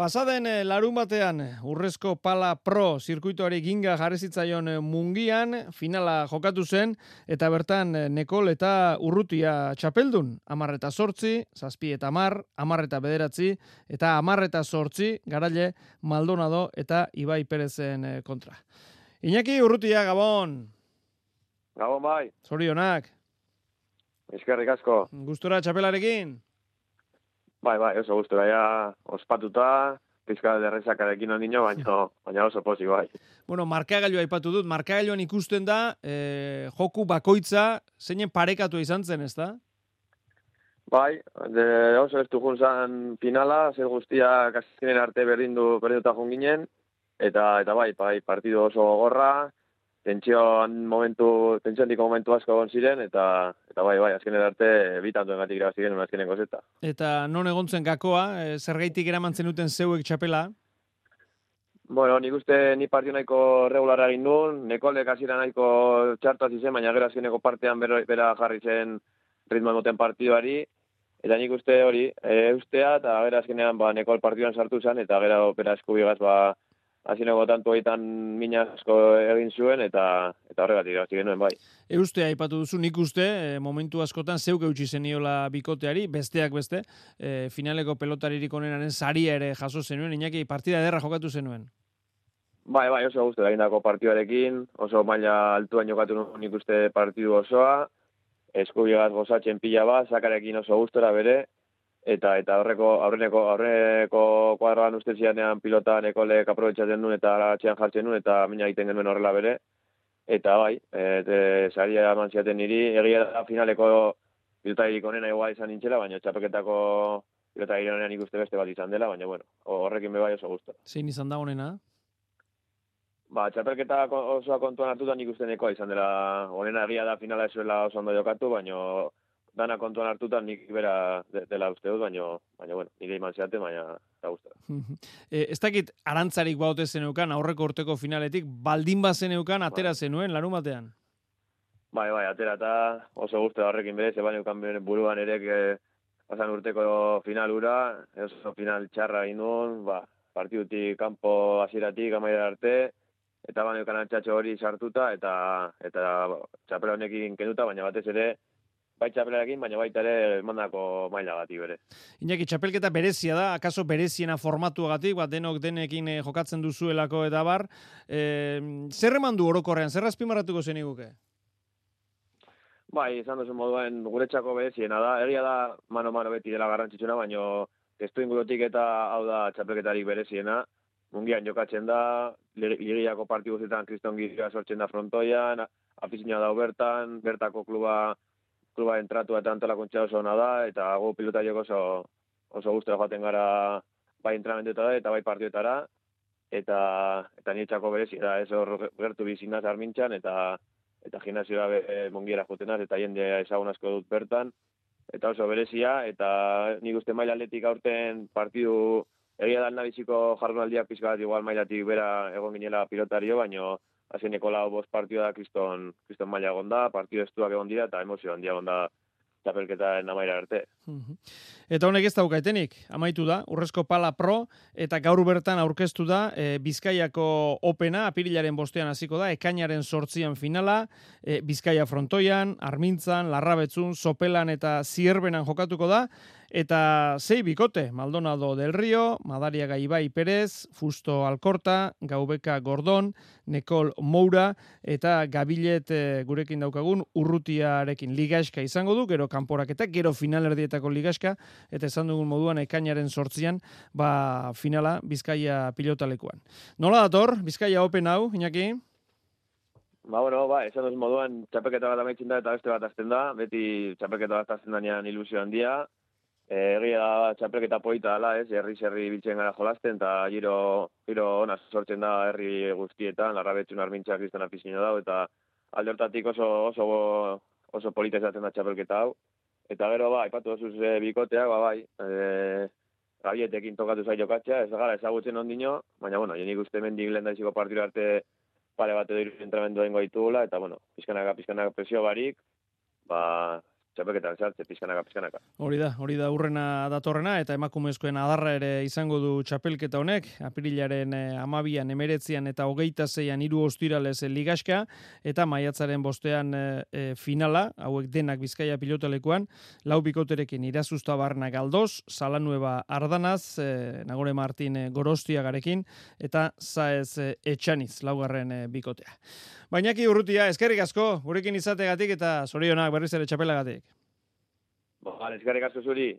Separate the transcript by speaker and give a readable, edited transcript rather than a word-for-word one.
Speaker 1: Pasaden larun batean, Urrezko Pala Pro zirkuituari ginga jarri zitzaion Mungian, finala jokatu zen, eta bertan Nekol eta Urrutia txapeldun. 10-8, 7-10, 10-9, eta 10-8, Garaile, Maldonado eta Ibai Perezen kontra. Iñaki Urrutia, Gabon!
Speaker 2: Gabon bai.
Speaker 1: Zorionak.
Speaker 2: Eskerrik asko.
Speaker 1: Gustura txapelarekin?
Speaker 2: Bai, oso gustura, ja ospatuta, pizka derrezakarekin ondino, baina oso pozik bai.
Speaker 1: Bueno, markagailua aipatu dut, markagailuan ikusten da, joku bakoitza, zeinen parekatu izan zen, ezta?
Speaker 2: Bai, oso ez du junzan finala, zer guztiak azkenen arte berdinduta junginen, eta bai, partidu oso gogorra, tentsiondiko momentu asko egon ziren, eta bai, azkenen arte bitantu engatik irabazi genuen azkeneko zeta.
Speaker 1: Eta non egon zen gakoa, zergaitik eraman zenuten zeuek txapela?
Speaker 2: Bueno, nik uste ni partio nahiko regularra egin duen, Nekolek hasiera nahiko txartu hasi zen, baina gero azkeneko partean bera jarri zen ritmo emoten partiduari, eta nik uste hori, eustea, eta gero azkenean Nekol partioan sartu zen, eta gero bera eskubigaz hazineko tantu egiten mina asko egin zuen, eta horregatik irabazi genuen bai.
Speaker 1: Eustea aipatu duzu, nik uste, momentu askotan zeuk eutxi zeniola bikoteari, besteak beste, finaleko pelotaririk onenaren saria ere jaso zenuen, Iñaki partida ederra jokatu zenuen.
Speaker 2: Bai, oso guztu egindako partiduarekin, oso maila altuan jokatu nik uste partidu osoa, eskubigaz gozatzen pila bat, sakarekin oso gustora bere, eta aurreneko kuadroan uste zianean pilota Nekolek aprobetxatzen duen eta atxean jartzen duen eta mina egiten genuen horrela bere. Eta bai, saria eman ziaten niri, egia da finaleko pilotaririk onena igual izan nintzela, baina txapelketako pilotaririk onenan ikuste beste bat izan dela, baina bueno, horrekin bai oso gustu.
Speaker 1: Zein izan da onena?
Speaker 2: Txapelketa osoa kontuan hartuta nik uste nekoa izan dela, onena egia da finala ezuela oso ondo jokatu, baina dana kontuan hartuta nik bera dela uste dut, baina bueno, nire iman zeate, baina eta guztara.
Speaker 1: Ez dakit arantzarik baute zeneukan, aurreko urteko finaletik, baldin bazeneukan, atera zenuen, larun batean?
Speaker 2: Bai, atera eta oso guztara horrekin bere, zeban eukan buruan ere pasan urteko finalura, oso final txarra egin duen, partidutik, kanpo hasieratik amaira arte, eta eukan antxatxo hori sartuta, eta txapela honekin kenduta, baina batez ere, bai txapelarekin, baina baita ere mandako maila gati bere.
Speaker 1: Iñaki, txapelketa berezia da, akaso bereziena formatuagatik, denok denekin jokatzen duzuelako eta bar. Zer eman du orokorrean, zer azpimarratuko zeniguke?
Speaker 2: Bai, izan duzu moduen guretzako bereziena da, egia da mano-mano beti dela garrantzitsuna, baina testu ingurutik eta hau da txapelketarik bereziena. Mungian jokatzen da, ligiako partidu zetan Kriston Giria sortzen da frontoian, afizioa da bertako kluba entratu eta antolakuntza oso ona da, eta gu pilotariok oso gustora joaten gara bai entrenamenduetara eta bai partiduetara, eta niretzako berezia da, ez hor gertu bizinaz Armintzan, eta gimnasioa Mungiera jotenaz, eta jende ezagun asko dut bertan, eta oso berezia, eta nik uste maila atletik aurten partidu egia da nabiziko jardunaldiak pizka bat igual mailatik bera egon ginela pilotario, baina azkeneko lau bost partidua da kriston maila egon da, partidu estuak egon dira, eta emozio handia egon da txapelketaren amaira arte.
Speaker 1: Eta honek ez daukaetenik, amaitu da, Urrezko Pala Pro, eta gaur bertan aurkeztu da, Bizkaiako Opena, apirilaren 5ean hasiko da, ekainaren 8ean finala, Bizkaia frontoian, Armintzan, Larrabetzun, Sopelan eta Zierbenan jokatuko da, eta 6 bikote, Maldonado del Rio, Madariaga Ibai Perez, Fusto Alkorta, Gaubeka Gordon, Nekol Moura, eta Gabilet gurekin daukagun Urrutiarekin ligaxka izango du, gero kanporaketa, gero finalerdietako ligaxka, eta esan dugun moduan ekainaren 8ean, finala Bizkaia pilotalekuan. Nola dator, Bizkaia Open hau, Iñaki?
Speaker 2: Esan duz moduan, txapelketa bat amaitzen da eta beste bat azten da, beti txapelketa bat azten danean ilusio handia, egia da txapelketa polita dela, herri biltzen gara jolasten, eta giro ona sortzen da herri guztietan, Larrabetzun Armintza Kriston afizioa dago, eta alde hortatik oso polita izaten da txapelketa hau. Eta gero, aipatu dozuz bikoteak, Gabietekin tokatu zai jokatzea, ez gara ezagutzen ondino, baina, jenik uste mendik lehen daiziko partidu arte pare bat edo entrenamendu dengo ditugula, eta, pizkanaka presio barik, txapelketan sartze pizkanaka.
Speaker 1: Hori da urrena datorrena, eta emakumezkoen adarra ere izango du txapelketa honek, apirilaren 12an, 19an eta 26an 3 ostiralez ligaxka, eta maiatzaren 5ean finala, hauek denak Bizkaia pilotalekuan, 4 bikoterekin Irazustabarna Galdos, Salanueva Ardanaz, Nagore Martin Gorostiagarekin, eta Saez Etxaniz, 4. bikotea. Bainaki Urrutia, eskerrik asko, gurekin izategatik eta zorionak berriz ere txapelagatik.
Speaker 2: Eskerrik asko zuri.